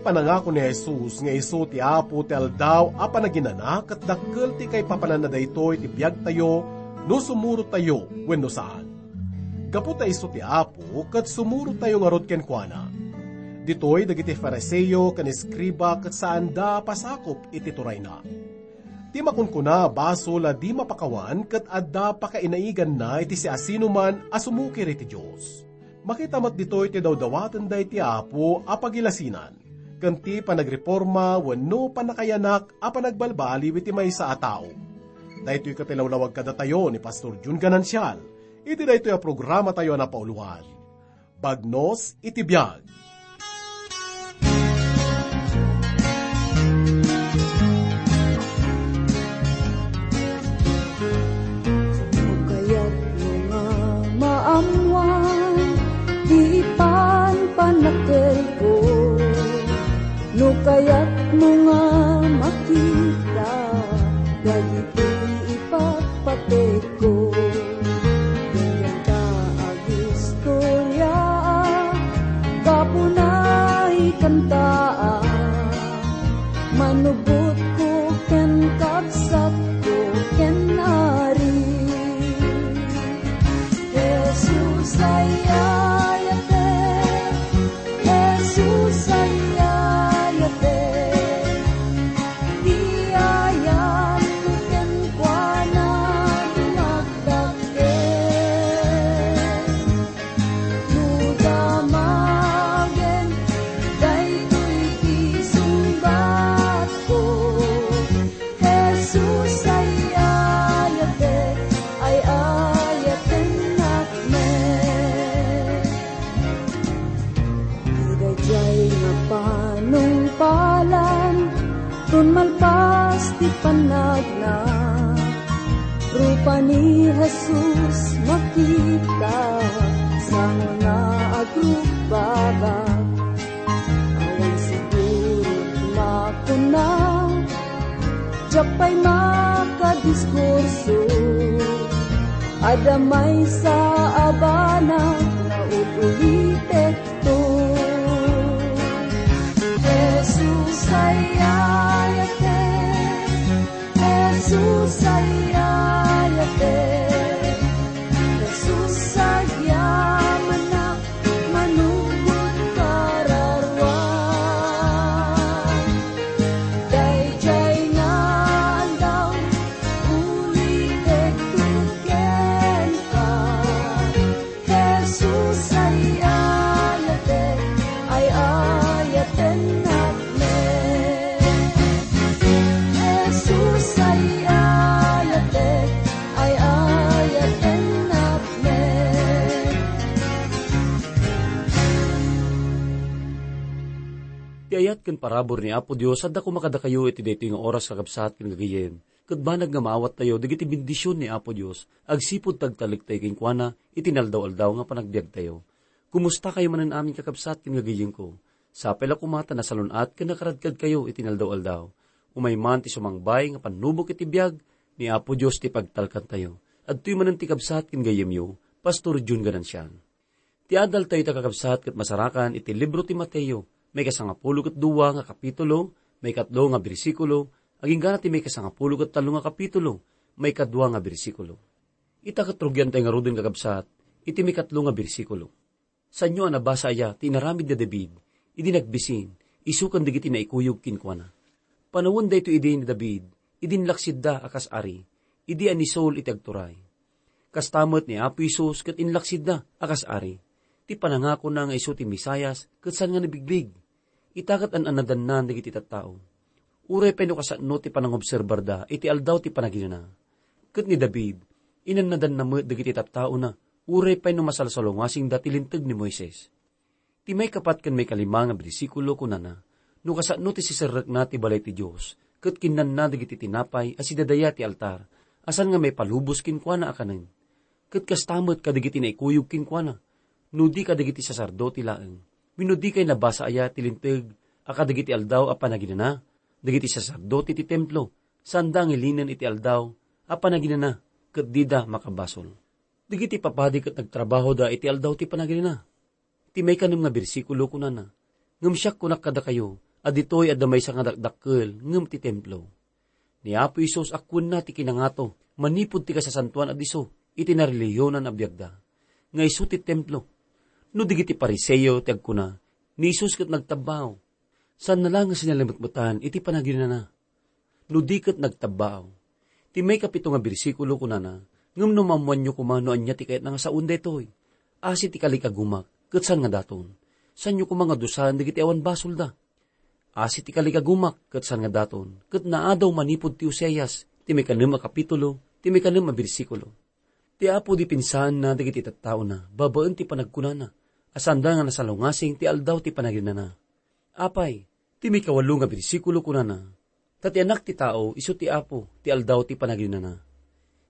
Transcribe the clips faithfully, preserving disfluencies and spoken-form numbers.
Panangako ni Jesus nga isu ti Apo ti Aldaw a Panaginana ket dakkel ti kaipapananna daytoy ti biagtayo no sumurotayo wenno saan. Gapu ta isu ti Apo ket sumurotayo ngarud kenkuana. Ditoy dagiti Fariseo ken eskriba ket saanda a pasakop iti turayna. Ti makunkuna a basol a di mapakawan ket adda pakainaiganna iti siasinoman a sumukir iti Dios. Makita met ditoy ti dawdawaten daydi ti Apo a pagilasinan, ken ti panagreporma wenno pannakayanak a panagbalbaliw iti maysa a tao. Daytoy ket ti lawlawag kadatayo ni Pastor Jun Ganancial iti daytoy a programatayo a napauluan, Bagnos iti Biag. No kayatmo nga maammuan ti panpannakkelko, no kayatmo nga makita dagiti ipatpategko, denggen ta agistoriaak, gapuna ikantaak, manubotko ken kabsatko ken Ari. Jesus, ay-ayatek. Jesus, ay-ayatek. Ti ayatko kenkuana dumagdakkel. No damagen daytoy ti sungbatko, Jesus, ay-ayatek, ay-ayatennak met. Ti daydiay nga panungpalan, tun malpas ti pannagna, rupa ni Jesus makita, sango nga agrugbagak. Awan siguro makuna, diak pay makadiskurso. Adda maysa a banag nga ul-ulitekto. Jesus, ay-ayatek. Jesus, ay-ayatek. Jesus, agyamanak, manubot kararuan. Daydiay nga aldaw, ulitek kenka. Jesus, ay-ayatek, ay-ayatennak met. Jesus, ay-ayatek, ay-ayatennak met. Ti ayat ken parabur ni Apo Dios adda koma kadakayo iti daytoy nga oras, kakabsat ken gagayyem. Ket banag nga maawattayo dagiti bendision ni Apo Dios agsipud ti agtalektayo kenkuana iti naldaw-aldaw nga panagbiagtayo. Kumustakayo manen amin, kakabsat ken gagayyemko? Sapay la koma ta nasalun-at ken nakaradkadkayo iti naldaw-aldaw. Umay man ti sumangbay nga pannubok iti biag ni Apo Dios ti pagtalkantayo. Adtoy manen ti kabsat ken gayyemyo, Pastor Jun Ganancian. Ti adaltayo ita, kakabsat, ket masarakan iti libro ti Mateo, maikasangapulo ket dua nga kapitulo, maikatlo nga bersikulo, agingga ti maikasangapulo ket tallo nga kapitulo, maikadua nga bersikulo. Ita ket rugiantayo ngaruden, kakabsat, iti maikatlo nga bersikulo. Saanyo a nabasa aya ti inaramid ni David idi nagbisin, isu ken dagiti naikuyog kenkuana? Panawen daytoy idi ni David, idi inlaksidda a kas ari, idi a ni Saul iti agturay. Kasta met ni Apo Jesus ket inlaksidda a kas ari. Ti panangakona nga isu ti Mesias ket saan nga nabigbig. Ita ket an-annadanna dagiti tattao. Uray pay no kasano ti panangobserbarda iti Aldaw ti Panaginana. Ket ni David, inannadanna met dagiti tattaona, uray pay no masalsalungasingda ti Linteg ni Moises. Ti maikapat ken maikalima nga bersikulo kunana, "No kasano ti siserrekna ti balay ti Dios, ket kinnanna dagiti tinapay a sidadaya ti altar, a saan nga maipalubos kenkuana a kanen. Ket kasta met kadagiti naikuyog kenkuana, no di kadagiti saserdote laeng. Wenno dikay nabasa aya ti Linteg a kadagiti Aldaw a Panaginana, dagiti saserdote ti templo, saanda nga ilinen iti Aldaw a Panaginana, ket dida makabasol. Dagiti papadi ket nagtrabahoda iti Aldaw ti Panaginana." Ti maikanem nga bersikulo kunana, "Ngem siak, kunak kadakayo, a ditoy adda maysa nga dakdakkel ngem ti templo. Ni Apo Jesus a kuenna ti kinangato manipud ti kasasantoan a disso iti narelihiyonan a biagda, nga isu ti templo. No dagiti Fariseo ti agkuna, ni Jesus ket nagtabbaaw. Saanna la nga sinalimetmetan iti panaginana. No di ket nagtabbaaw. Ti maikapito nga bersikulo kunana, ngem no maammoanyo koma no ania ti kayatna nga saoen daytoy, asi ti kalikagumak, ket saan nga daton. Saanyo koma nga dusaen dagiti awan basolda. Asi ti kalikagumak, ket saan nga daton, ket naadaw manipud ti Oseas, ti maikanem a kapitulo, ti maikanem a bersikulo. Ti Apo dipinsaenna dagiti tattaona babaen ti panagkunana, a saanda nga nasalungasing ti aldaw ti panaginana. Apay, ti maikawalo nga bersikulo kunana, "Ta ti Anak ti Tao isu ti Apo ti aldaw ti panaginana."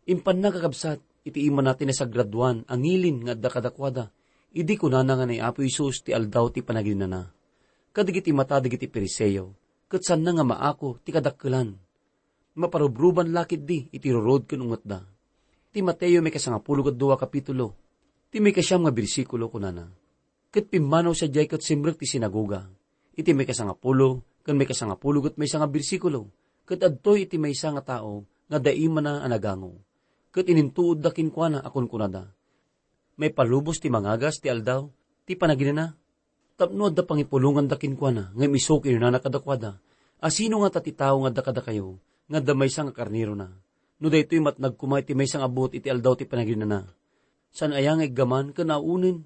Impanna, kakabsat, iti imana ti nasagradoan a ngilin nga adda kadakuada, idi kunana nga ni Apo Jesus ti aldaw ti panaginana. Kadagiti mata dagiti Fariseo, ket saanna nga maako ti kadakkelan. Maparubruban la ketdi iti rurod ken ungetda. Ti Mateo maikasangapulo ket dua kapitulo, ti maikasiam nga bersikulo kunana, "Ket pimmanaw sadiay ket simrek ti sinagoga." Iti maikasangapulo ken maikasangapulo ket maysa nga bersikulo, ket adtoy iti maysa nga tao nga adda imana a nagango. Ket inintuodda kenkuana a kunkunada, "Maipalubos ti mangagas ti aldaw ti panaginana?" Tapno adda pangipulonganda kenkuana, ngem isu kinunana kadakuada, "Asino ngata ti tao nga adda kadakayo nga adda maysa nga karnerona? No daytoy matnag koma iti maysa nga buot iti aldaw ti panaginana, saan aya nga iggaman ken aunen?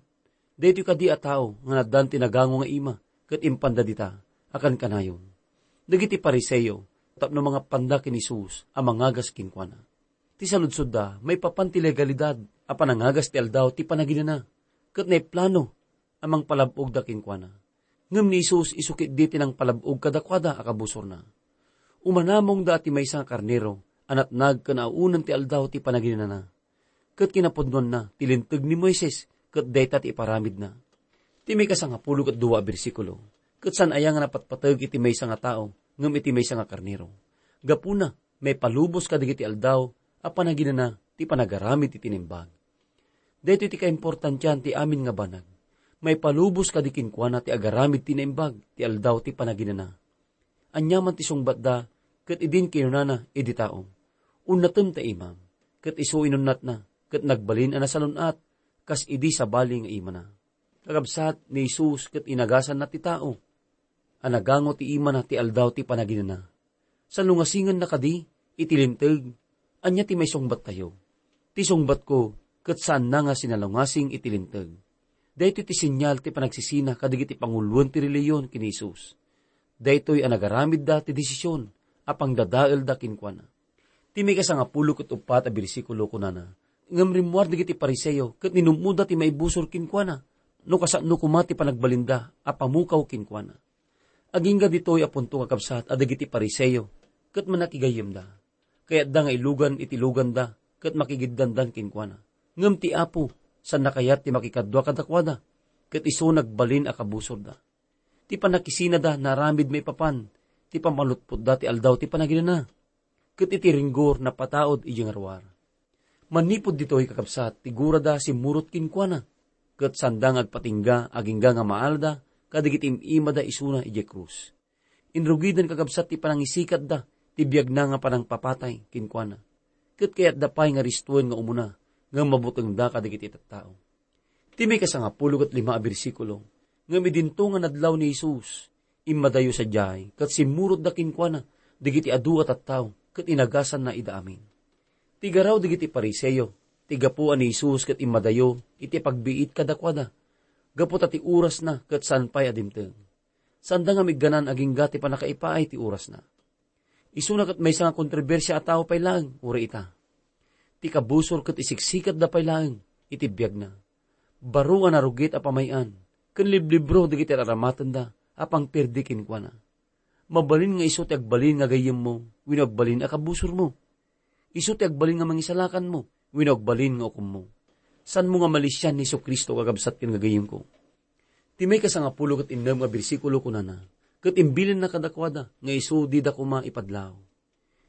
Daytoy kadi a tao nga naaddan ti nagango nga ima ket impanda dita a kankanayon." Dagiti Fariseo, tapno mangapanda ken Jesus a mangagas kenkuana. Ti saludsodda, maipapan ti legalidad a panangagas ti aldaw ti panaginana, ket naiplano a mangpalab-ogda kenkuana. Ngem ni Jesus isu ketdi ti nangpalab-og kadakuada a kabusorna. Umanamongda ti maysa nga karnero a natnag ken aunan ti aldaw ti panaginana. Ket kinapudnonna ti Linteg ni Moises ket dayta ti iparamidna. Ti maikasangapulo ket dua a bersikulo, ket saan aya nga napatpateg iti maysa nga tao ngem iti maysa nga karnero. Gapuna, maipalubos kadagiti aldaw a panaginana ti panagaramid iti naimbag. Daytoy ti kaimportantian ti amin nga banag. Maipalubos kadi kenkuana ti agaramid ti naimbag ti aldaw ti panaginana. Aniaman ti sungbatda, ket idin kinunana idi tao, "Unnatem ta imam," ket isu inunnatna, ket nagbalin a nasalun-at, kas idi sabali nga imana. Kakabsat, ni Jesus ket inagasanna ti tao a nagango ti imana ti aldaw ti panaginana. Salungasinganna kadi iti Linteg? Ania ti maisungbattayo? Ti sungbatko, ket saanna nga sinalungasing iti Linteg. Daytoy ti senyal ti panagsisina kadagiti panguloen ti relihiyon ken ni Jesus. Daytoy a nagaramidda ti desisyon a pangdadaelda kenkuana. Ti maikasangapulo ket uppat a bersikulo kunana, "Ngem rimmuar dagiti Fariseo ket ninum-oda ti maibusor kenkuana, no kasano koma ti panagbalinda a pamukaw kenkuana." Agingga ditoy a punto, kakabsat, a dagiti Fariseo ket mannakigayyemda. Kayatda nga ilugan iti luganda ket makigiddandan kenkuana. Ngem ti Apo, saanna kayat ti makikadua kadakuada, ket isu nagbalin a kabusorda. Ti pannakisinada naaramid maipapan ti pammalutpotda ti aldaw ti panaginana, ket iti ringgor napataud idiay ngaruar. Manipud ditoy, kakabsat, ti gurada simmurot kenkuana, ket saanda nga agpatingga agingga nga maalada kadagiti im-imada isuna idiay krus. Inrugidan, kakabsat, ti panangisikatda ti biagna nga panangpapatay kenkuana, ket kayatda pay nga ristuen nga umuna, ngem mabutengda kadagiti tattao. Ti maikasangapulo ket lima a bersikulo, "Ngem idinto nga nadlaw ni Jesus, immadayo sadiay, ket simmurotda kenkuana dagiti adu a tattao, ket inagasanna ida amin." Ti garaw dagiti Fariseo, ti gapu a ni Jesus ket immadayo iti pagbiit kadakuada, gapu ta ti orasna ket saan pay a dimteng. Saanda nga migganan agingga ti pannakaipaay ti orasna. Isuna ket maysa nga kontrobersia a tao pay laeng, uray ita. Ti kabusor ket isiksikatda pay laeng iti biagna. Baro nga narugit a pamay-an ken liblibro dagiti ar-aramatenda a pangperdi kenkuana. Mabalin nga isu ti agbalin nga gayyemmo wenno agbalin a kabusormo? Isu ti agbalin nga mangisalakanmo wenno agbalin nga ukommo? Saanmo nga malisian ni Jesu-Cristo, kakabsat ken gagayyemko? Ti maikasangapulo ket innem nga bersikulo kunana, "Ket imbilinna kadakuada nga isu dida koma ipadlaw."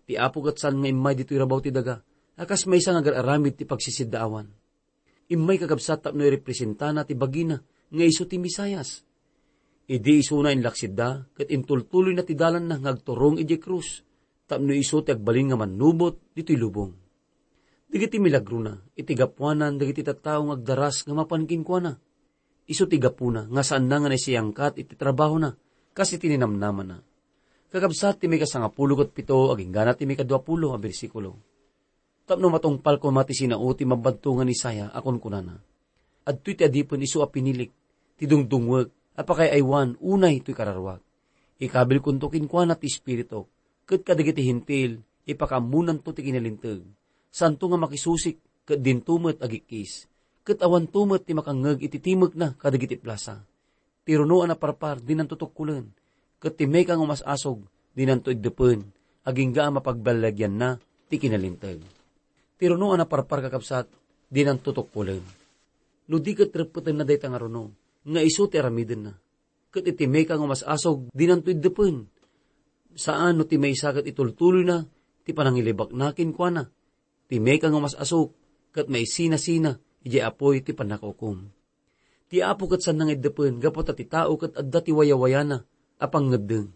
Ti Apo ket saan nga immay ditoy rabaw ti daga a kas maysa nga agar-aramid ti pagsisidaawan. Immay, kakabsat, tapno irepresentana ti bagina nga isu ti Mesias. Idi isuna inlaksidda, ket intultuloyna ti dalanna nga agturong idiay krus, tapno isu ti agbalin nga mannubot ditoy lubong. Dagiti milagrona, iti gapuanan dagiti tattao nga agdaras nga mapan kenkuana. Isu ti gapuna nga saanna nga naisayangkat iti trabahona, kas iti ninamnamana. Kakabsat, ti maikasangapulo ket pito, aginggana ti maikaduapulo a bersikulo. Tapno matungpal koma ti sinao ti mabadto nga ni Isaiah a kunkunana, "Adtoy ti adipen isu a pinilik, ti dungdungwek a pakaay-aywan unay toy kararuak. Ikabilkonto kenkuana ti Espirituk, ket kadagiti Hentil, ipakaammonanto ti kinalinteg. Saanto nga makisusik, ket dinto met agikkis, ket awanto met ti makangngeg iti timekna kadagiti plasa. Ti runo a naparpar, dinanto tukkolen, ket ti mayka nga umas-asog, dinanto iddepen, agingga a mapagballagianna ti kinalinteg." Ti runo a naparpar, kakabsat, dinanto tukkolen. No di ket reppetenna dayta nga runo, nga isu ti aramidenna. Ket iti mayka nga umas-asog, dinanto iddepen. Saan no ti maysa ket itultuloyna ti panangilibakna kenkuana. Ti mayka nga umas-asog, ket maisinasina idiay apuy ti pannakaukom. Ti Apo ket saanna nga iddepen gapu ta ti tao ket adda ti wayawayana a pangngeddeng.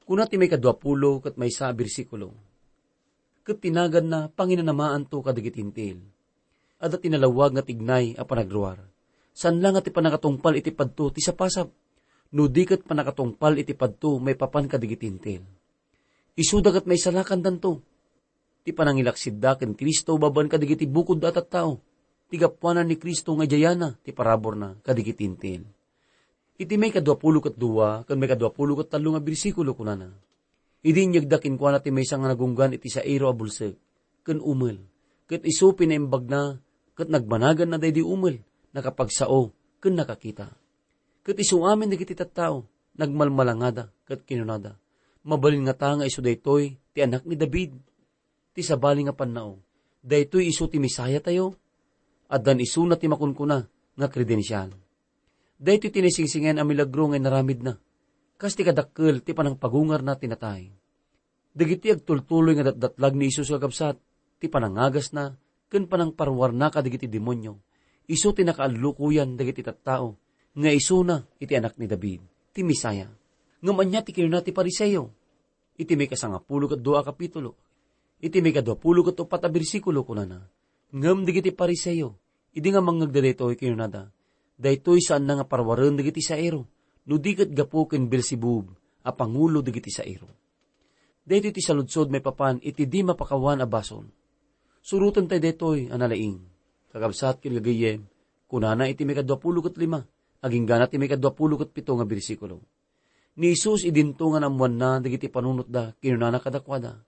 Kuna ti maikaduapulo ket maysa a bersikulo, "Ket ti naganna panginanamaanto kadagiti Hentil. Adda ti nalawag nga tignay a panagruar. Saan la nga ti pannakatungpal iti padto ti sapasap, no di ket pannakatungpal iti padto maipapan kadagiti Hentil. Isuda ket maisalakandanto. Ti panangilaksidda ken Cristo babaen kadagiti bukodda a tattao, ti gapuanan ni Cristo nga idiayana ti paraburna kadagiti Hentil." Iti maikaduapulo ket dua ken maikaduapulo ket tallo nga bersikulo, kunana, "Idi inyegda kenkuana ti maysa nga nagunggan iti sairo a bulsek ken umel, ket isu pinaimbagna ket nagbanaganna daydi umel, nakapagsao ken nakakita. Ket isu amin dagiti tattao nagmalmalangada ket kinunada, 'Mabalin ngata nga isu daytoy ti Anak ni David?' Ti sabali nga pannao, daytoy isu ti Messiah tayo?" Addan isuna ti makunkuna nga kredensial. Daytoy ti naisingsingen a milagro nga inaramidna, kas ti kadakkel ti panangpagungarna ti natay. Dagiti agtultuloy nga datdatlag ni Jesus, kakabsat, ti panangagasna ken panangparuarna kadagiti demonio, isu ti nakaallukoyan dagiti tattao nga isuna iti Anak ni David, ti Messiah. Ngem ania ti kinuna ti Fariseo? Iti maikasangapulo ket dua a kapitulo, iti maikaduapulo ket uppat a bersikulo, kunana, "Ngem dagiti Fariseo, idi nga mangngegda daytoy, kinunada, 'Daytoy saanna nga paruaren dagiti sairo, no di ket gapu ken Beelzebub a pangulo dagiti sairo.'" Daytoy ti saludsod maipapan iti di mapakawan a basol. Surotentayo daytoy a nalaing. Kakabsat ken gagayyem, kunana iti maikaduapulo ket lima, aginggana ti maikaduapulo ket pito nga bersikulo. Ni Jesus, idinto nga naammoanna dagiti panunotda, kinunana kadakuada,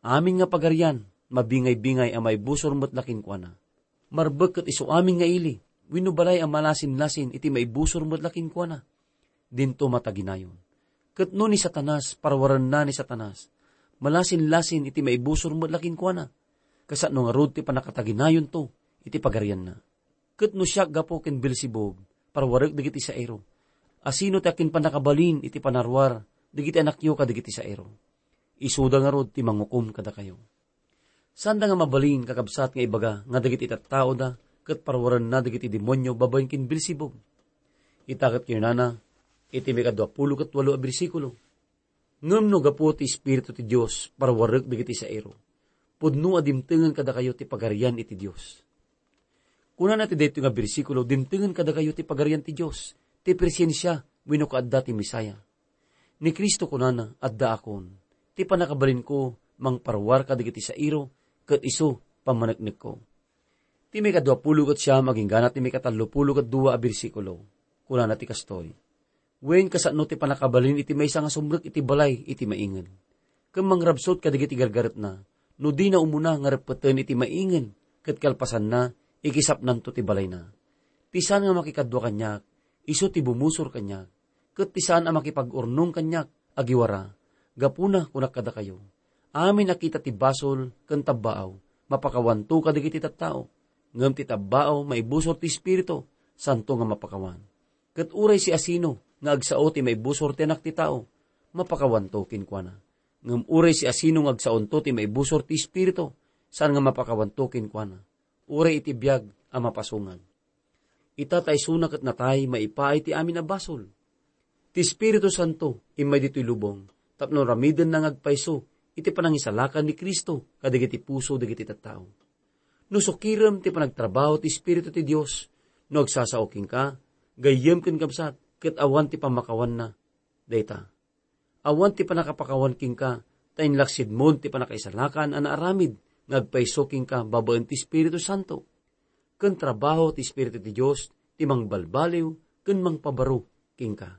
"Amin nga pagarian, mabingay-bingay a maibusor met la kenkuana. Marbek ket isu amin nga ili, wenno balay a malasinlasin iti maibusor met la kenkuana. Dinto mataginayon. Ket no ni Satanas, paruarenna ni Satanas, malasinlasin iti maibusor met la kenkuana. Kasano ngarud ti pannakataginayonto iti pagarianna? Ket no siak gapu ken Beelzebub, paruarek dagiti sairo, asino ti akinpannakabalin iti panaruar dagiti anakyo kadagiti sairo? Isuda ngarud ti mangukom kadakayo." Saanda nga mabalin, kakabsat, nga ibaga nga dagiti tattaoda ket paruarenna dagiti demonio babaen ken Beelzebub. Ita ket kinunana iti maikaduapulo ket walo a bersikulo, "Ngem no gapu ti Espiritu ti Dios, paruarek dagiti sairo. Pudno a dimtengen kadakayo ti Pagarian iti Dios." Kunana ti daytoy nga bersikulo, dimtengen kadakayo ti Pagarian ti Dios, ti presensia wenno kaadda ti Messiah. Ni Cristo kunana, "Addaakon, ti pannakabalinko mangparuar kadagiti sairo, ket isu pammaneknekko." Ti maikaduapulo ket siam aginggana ti maikatallopulo ket dua a bersikulo, kunana ti kastoy, "Wen, kasano ti pannakabalin iti maysa nga sumrek iti balay iti maingen, ken mangrabsut kadagiti gargaretna, no dina umuna nga reppeten iti maingen ket kalpasanna, ikisapnanto ti balayna. Ti saan nga makikadua kaniak, isu ti bumusor kaniak, ket ti saan a makipag-urnong kaniak, agiwara. Gapuna, kunak kadakayo, amin a kita ti basol ken tabbaaw, mapakawanto kadagiti tattao, ngem ti tabbaaw maibusor ti Espiritu, saanto nga mapakawan. Ket uray siasino nga agsao ti maibusor ti Anak ti Tao, mapakawanto kenkuana. Ngem uray siasino nga agsaonto ti maibusor ti Espiritu, saan nga mapakawanto kenkuana, uray iti biag a mapasungad. Ita ta isuna ket natay maipaay ti amin a basol. Ti Espiritu Santo immay ditoy lubong tapno aramidenna nga agpayso iti panangisalakan ni Cristo kadagiti puso dagiti tattao. No sukirem ti panagtrabaho ti Espiritu ti Dios, no agsasao kenka, gayyem ken kabsat, ket awan ti pammakawanna dayta. Awan ti pannakapakawan kenka, ta inlaksidmon ti pannakaisalakan a naaramid nga agpayso kenka babaen ti Espiritu Santo. Ken trabaho ti Espiritu ti Dios ti mangbalbaliw ken mangpabaro kenka.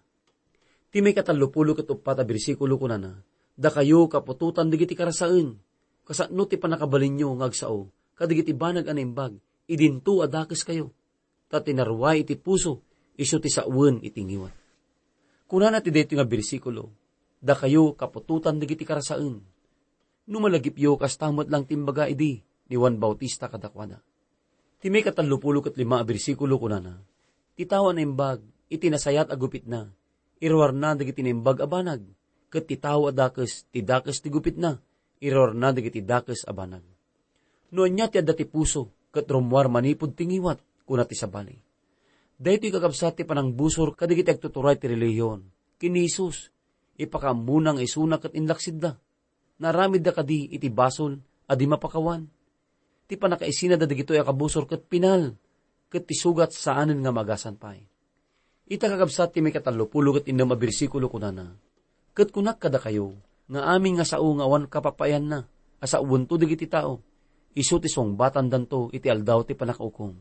Ti maikatallopulo ket uppat a bersikulo kunana, "Dakayo, kaputotan dagiti karasaen, kasano ti pannakabalinyo nga agsao kadagiti banag a naimbag idinto a dakeskayo, ta ti naruay iti puso isu ti sawen iti ngiwat." Kunana ti daytoy nga bersikulo, "Dakayo, kaputotan dagiti karasaen." No malagipyo, kasta met lang ti imbaga idi ni Juan Bautista kadakuada. Ti maikatallopulo ket lima a bersikulo kunana, "Ti tao a naimbag iti nasayaat a gupitna, iruarna dagiti naimbag a banag, ket ti tao a dakes ti dakes ti gupitna, iruarna dagiti dakes a banag." No ania ti adda ti puso ket rummuar manipud ti ngiwat, kuna ti sabali. Daytoy kakabsat ti panangbusor kadagiti agtuturay ti relihiyon ken ni Jesus. Ipakaammona nga isuna ket inlaksidda. Naaramidda kadi iti basol a di mapakawan? Ti pannakaisinada dagitoy a kabusor ket pinal, ket ti sugat saanen nga maagasan pay. Ita, kakabsat, ti maikatallopulo ket innem a bersikulo kunana, "Ket kunak kadakayo nga amin nga sao nga awan kapapayanna a saoento dagiti tao, isu ti sungbatandanto iti aldaw ti pannakaukom."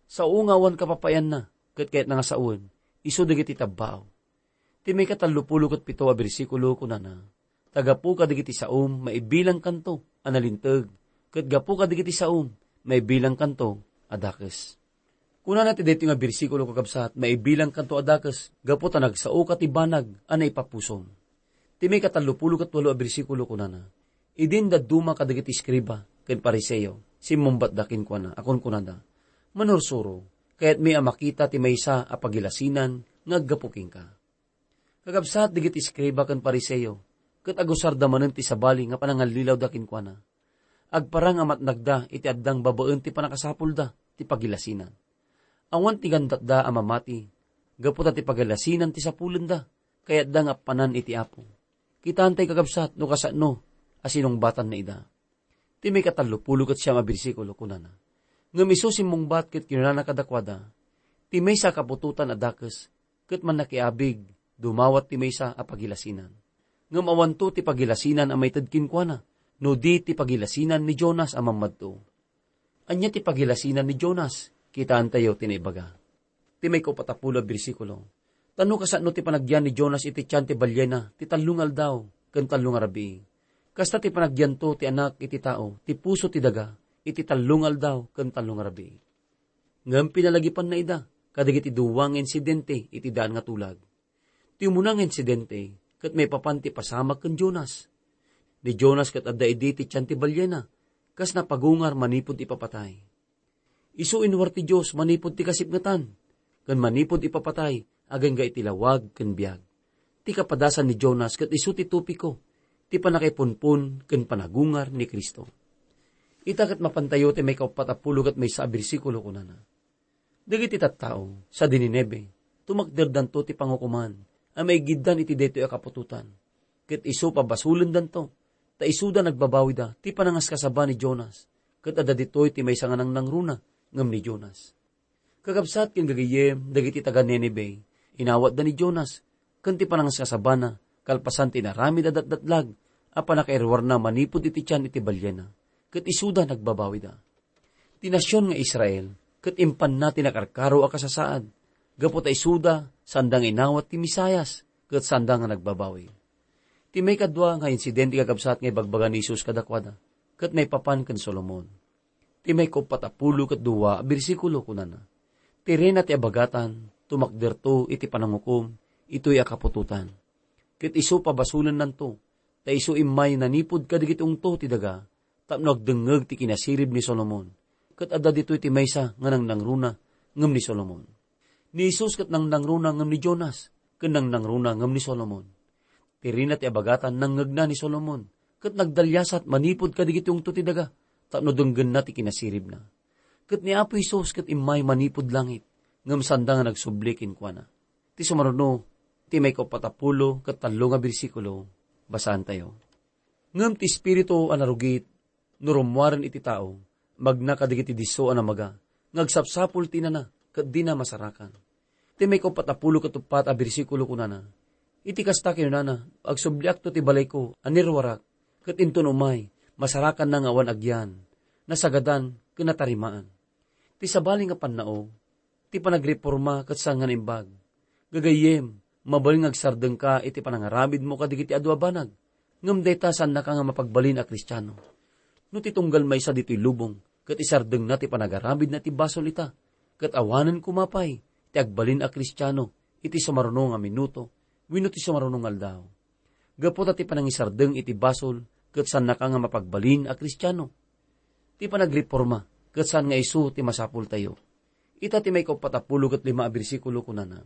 Sao nga awan kapapayanna ket kayatna nga sawen, isu dagiti tabbaaw. Ti maikatallopulo ket pito a bersikulo kunana, "Ta gapu kadagiti saom, maibilangkanto a nalinteg, ket gapu kadagiti saom, maibilangkanto a dakes." Kunana ti daytoy nga bersikulo, kakabsat, "Maibilangkanto a dakes gapu ta nagsaoka ti banag a naipapusom." Ti maikatallopulo ket walo a bersikulo kunana, "Idin dadduma kadagiti eskriba ken Fariseo, simmungbatda kenkuana a kunkunada, 'Manursuro, kayatmi a makita ti maysa a pagilasinan nga aggapu kenka.'" Kakabsat, dagiti eskriba ken Fariseo ket agusarda manen ti sabali nga panangallilawda kenkuana. Agparang a matnagda iti addang babaen ti pannakasapulda ti pagilasinan. Awan ti gandatda a mamati gapu ta ti pagilasinan ti sapulenda, kayatda nga appanan iti Apo. Kitaentay, kakabsat, no kasano a sinungbatanna ida. Ti maikatallopulo ket siam a bersikulo kunana, "Ngem isu simmungbat ket kinunana kadakuada, 'Ti maysa a kaputotan a dakes ket mannakiabig dumawat ti maysa a pagilasinan. Ngem awanto ti pagilasinan a maited kenkuana, no di ti pagilasinan ni Jonas a mammadto.'" Ania ti pagilasinan ni Jonas? Kitaentayo ti naibaga. Ti maikaupat a pulo a bersikulo, "Ta no kasano ti panagyan ni Jonas iti tian ti baliena ti tallo nga aldaw ken tallo nga rabii, kasta ti panagyanto ti Anak iti Tao ti puso ti daga iti tallo nga aldaw ken tallo nga rabii. Ngem pinalagipanna ida kadagiti dua nga insidente iti daan nga tulag. Ti umuna nga insidente ket maipapan ti pasamak ken Jonas. Ni Jonas ket adda idi ti tian ti baliena, kas napagungar manipud ipapatay. Isu inuar ti Dios manipud ti kasipngetan, ken manipud ipapatay agingga iti lawag ken biag. Ti kapadasan ni Jonas ket isu ti topiko ti pannakaipunpon ken panagungar ni Cristo." Ita ket mapantayo ti maikauppat a pulo ket maysa a bersikulo, kunana, Dagiti tattao sadi Nineve, tumakderdanto ti pangukoman a maigiddan iti daytoy a kaputotan, ket isu pabasolendanto, ta isuda nagbabawida ti panangaskasaba ni Jonas, ket adda ditoy ti maysa nga nangnangruna ngem ni Jonas. Kakabsat ken gagayyem, dagiti taga-Nineve, inawatda ni Jonas ken ti panangaskasabana kalpasan ti inaramid a datdatlag a pannakairuarna manipud iti tian iti baliena, ket isuda nagbabawida. Ti nasion nga Israel ket impanna ti nakarkaro a kasasaad, gapu ta isuda sanda nga inawat ti Mesias ket sanda nga nagbabawi. Ti maikadua nga insidente, kakabsat, nga ibagbaga ni Jesus kadakuada ket maipapan ken Solomon. Ti maikauppat a pulo ket dua a bersikulo, kunana, "Ti reyna ti abagatan tumakderto iti panangukom itoy a kaputotan, ket isu pabasolennanto, ta isu immay nanipud kadagiti ungto ti daga tapno agdengngeg ti kinasirib ni Solomon, ket adda ditoy ti maysa nga nangnangruna ngem ni Solomon." Ni Jesus ket nangnangruna ngem ni Jonas, ken nangnangruna ngem ni Solomon. Ti reyna ti abagatan nangngegna ni Solomon, ket nagdaliasat manipud kadagiti ungto ti daga tapno denggenna ti kinasiribna. Ket ni Apo Jesus ket immay manipud langit, ngem sanda nga nagsubli kenkuana. Ti sumaruno, ti maikaupat a pulo ket tallo nga bersikulo, basaantayo. Ngem ti espiritu a narugit, no rummuaren iti tao, magna kadagiti disso a namaga, nga agsapsapul ti inana, ket dina masarakan. Ti maikaupat a pulo ket uppat a bersikulo kunana, iti kasta kinunana, agsubliakto ti balayko a niruarak, ket inton umay, masarakanna nga awan agyan, nasagadan, ken natarimaan. Ti sabali nga pannao, ti panagreporma ket saan nga naimbag. Gagayyem, mabalin nga agsardengka iti panangaramidmo kadagiti adu a banag, ngem dayta saannaka nga mapagbalin a Kristiano. No ti tunggal maysa ditoy lubong ket isardengna ti panagaramidna iti basol ita, ket awanen koma pay ti agbalin a Kristiano iti sumaruno nga minuto wenno ti sumaruno nga aldaw. Gapu ta ti panangisardeng iti basol ket saannaka nga mapagbalin a Kristiano. Ti panagreporma ket saan nga isu ti masapultayo. Ita ti maikaupat a pulo ket lima a bersikulo kunana,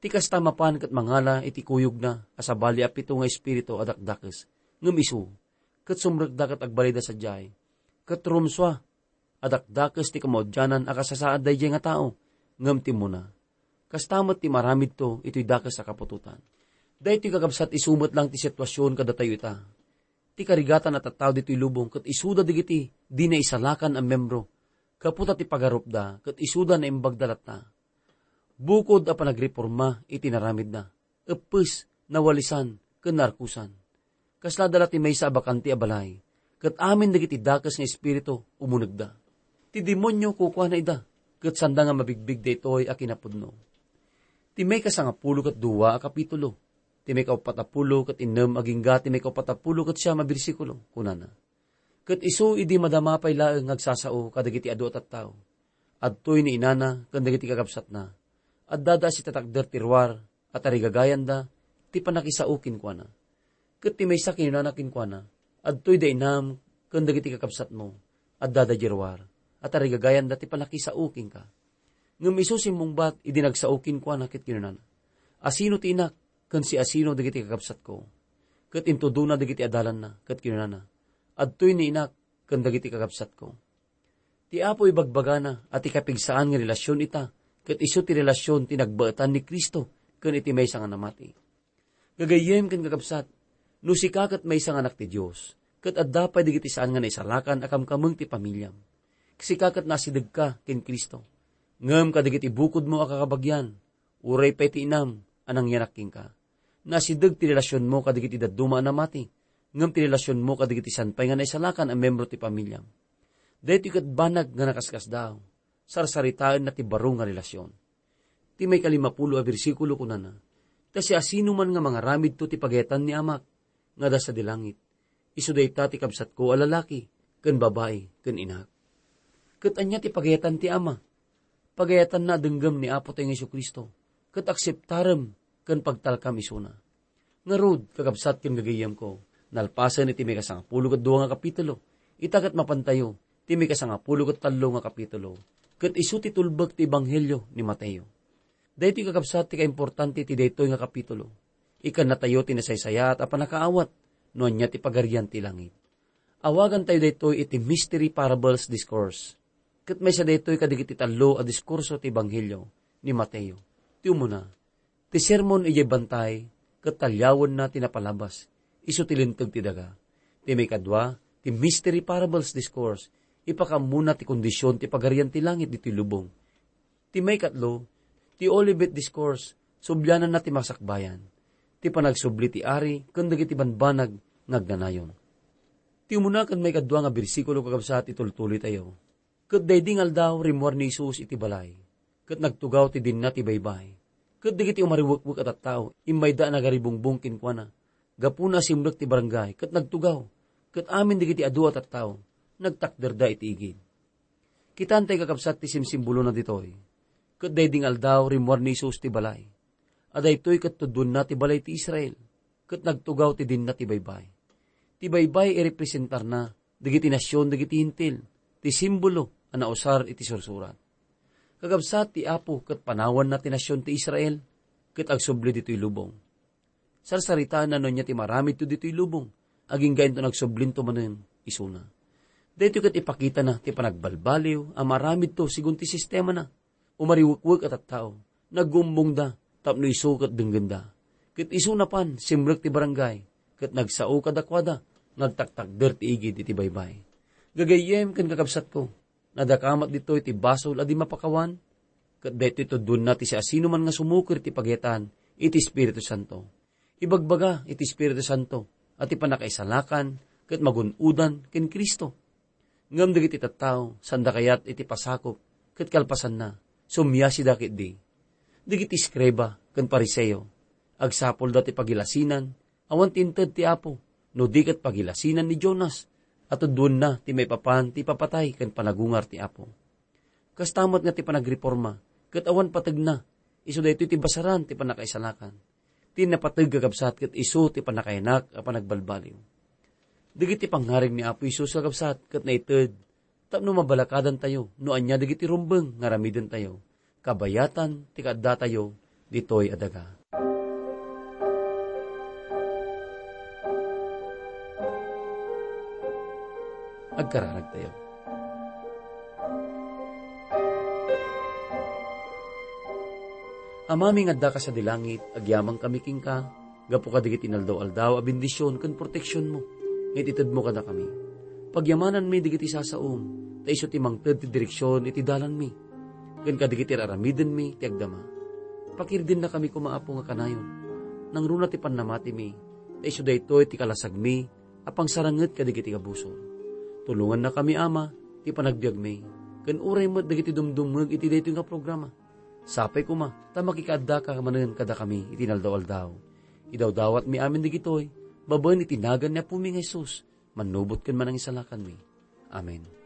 ti kasta mapan ket mangala iti kuyogna a sabali a pito nga espiritu a dakdakes, ngem isu, ket sumrekda ket agbalida sadiay, ket rumsua a dakdakes ti kamaudianan a kasasaad daydiay nga tao, ngem ti umuna. Kasta met ti maramidto itoy dakes a kaputotan. Daytoy kakabsat isu met lang ti situasion kadatayo ita. Ti karigatan a tattao ditoy lubong ket isuda dagiti di naisalakan a membro, gapu ta ti pagarupda ket isuda naimbagda latta. Bukod a panagreporma iti naramidna, eppes, nawalisan, ken naarkosan. Kaslada la ti maysa a bakante a balay, ket amin dagiti dakes nga espiritu umunegda. Ti demonio kukuana ida, ket sanda nga mabigbig daytoy a kinapudno. Ti maikasangapulo ket dua a kapitulo, ti maikaupat a pulo ket innem agingga ti maikaupat a pulo ket siam a bersikulo, kunana, ket isu idi madama pay laeng nga agsasao kadagiti adu a tattao, adtoy ni inana ken dagiti kakabsatna. Addada a sitatakder ti ruar a tarigagayanda ti pannakisao kenkuana. Ket ti maysa kinunana kenkuana, adtoy da inam ken dagiti kakabsatmo, addada di ruar a tarigagayanda ti pannakisao kenka. Ngem isu simmungbat idi nagsao kenkuana ket kinunana, asino ti inak ken siasino dagiti kakabsatko? Ket intudona dagiti adalanna ket kinunana, adtoy ni inak ken dagiti kakabsatko. Ti Apo ibagbagana a ti kapigsaan nga relasion ita, ket isu ti relasion ti nagbaetan ni Cristo ken iti maysa nga namati. Gagayyem ken kakabsat, no sika ket maysa nga anak ti Dios, ket adda pay dagiti saan nga naisalakan a kamkameng ti pamiliam. Sika ket naasidegka ken Cristo. Ngem kadagiti bukodmo a kakabagian, uray pay ti inam a nangyanak kenka. Naasideg ti relasionmo kadagiti dadduma a namati, ngem ti relasionmo kadagiti san pay nga naisalakan a membro ti pamiliam. Daytoy ket banag nga nakaskasdaaw. Sarsaritaenna ti baro nga relasion. Ti maikalimapulo a bersikulo kunana, ta siasinoman nga mangaramidto ti pagayatan ni Amak nga adda sadi langit, isu dayta ti kabsatko a lalaki ken babai ken inak. Ket ania ti pagayatan ti Ama? Pagayatanna a denggem ni Apotayo nga Jesu-Cristo, ket akseptarem ken pagtalkam isuna. Ngarud, kakabsat ken gagayyemko, nalpasen iti maikasangapulo ket dua nga kapitulo, ita ket mapantayo ti maikasangapulo ket tallo nga kapitulo, ket isu ti tulbek ti ebanghelio ni Mateo. Daytoy kakabsat ti kaimportante ti daytoy nga kapitulo. Ikannatayo ti nasaysayaat a pannakaawat no ania ti Pagarian ti Langit. Awagantayo daytoy iti Mystery Parables Discourse. Ket maysa daytoy kadagiti tallo a diskurso ti Ebanghelio ni Mateo. Ti umuna, ti sermon idiay bantay ket taliawenna ti napalabas, isu ti linteg ti daga. Ti maikadua, ti Mystery Parables Discourse, ipakaammona ti kondision ti Pagarian ti Langit ditoy lubong. Ti maikatlo, ti Olivet Discourse, subliananna ti masakbayan, ti panagsubli ti ari ken dagiti banbanag nga agnanayon. Ti umuna ken maikadua nga bersikulo, kakabsat, itultuloytayo. Ket daydi nga aldaw, rimmuar ni Jesus iti balay, ket nagtugaw ti dinna ti baybay. Ket dagiti umariwekwek a tattao, immayda a nagaribungbong kenkuana. Gapuna a simrek ti barangay, ket nagtugaw, ket amin dagiti adu a tattao, nagtakderda iti igid. Kitaentay, kakabsat, ti simsimbolona ditoy. Ket daydi nga aldaw, rimmuar ni Jesus ti balay. A daytoy ket tudduenna ti balay ti Israel, ket nagtugaw ti dinna ti baybay. Ti baybay irepresentarna dagiti nasion dagiti Hentil, ti simbolo a nausar iti Sursurat. Kakabsat, ti Apo ket panawanna ti nasion ti Israel, ket agsubli ditoy lubong. Sarsaritaenna no ania ti maramidto ditoy lubong, agingga inton agsublinto manen isuna. Daytoy ket ipakitana ti panagbalbaliw a maramidto segun ti sistemana. Umariwekwek a tattao, naggumbongda tapno isu ket denggenda. Ket isu napan, simrek ti barangay, ket nagsao kadakuada nga agtaktakder ti igid iti baybay. Gagayyem ken kakabsatko, nadakamat ditoy ti basol a di mapakawan, ket daytoy tudduenna ti siasinoman nga sumuker ti pagayatan iti Espiritu Santo. Ibagbaga iti Espiritu Santo a ti pannakaisalakan ket magun-odan ken Cristo. Ngem dagiti tattao, saanda kayat iti pasakop ket kalpasanna, sumiasida ketdi. Dagiti eskriba ken Fariseo, agsapulda ti pagilasinan, awan ti inted ti Apo, no di ket pagilasinan ni Jonas, a tudduenna ti maipapan ti ipapatay ken panagungar ti Apo. Kasta met nga ti panagreporma, ket awan pategna, isu daytoy ti basaran ti pannakaisalakan. Ti napateg, kakabsat, ket isu ti pannakainak a panagbalbaliw. Dagiti pangngarig ni Apo Jesus, kakabsat, ket naited tapno mabalakadantayo no ania dagiti rumbeng nga aramidentayo, kabayatan ti kaaddatayo ditoy a daga. Agkararagtayo. Amami nga adda ka sadi langit, agyamankami kenka, gapu kadagiti inaldaw-aldaw a bendision ken proteksionmo nga itedmo kadakami. Pagyamananmi dagiti sasaom, ta isu ti mangted ti direksion iti dalanmi, ken kadagiti ar-aramidenmi ti agdama. Pakirdennakami koma, Apo, nga kanayon. Nangruna ti pannamatimi, ta isu daytoy ti kalasagmi a pangsaranget kadagiti abusor. Tulongannakami, Ama, ti panagbiagmi, ken uray met dagiti dumdumngeg iti daytoy nga programa. Sapay koma ta makikaaddaka manen kadakami iti inaldaw-aldaw. Idawdawatmi amin dagitoy babaen iti nagan ni Apomi nga Jesus, mannubot ken manangisalakanmi. Amen.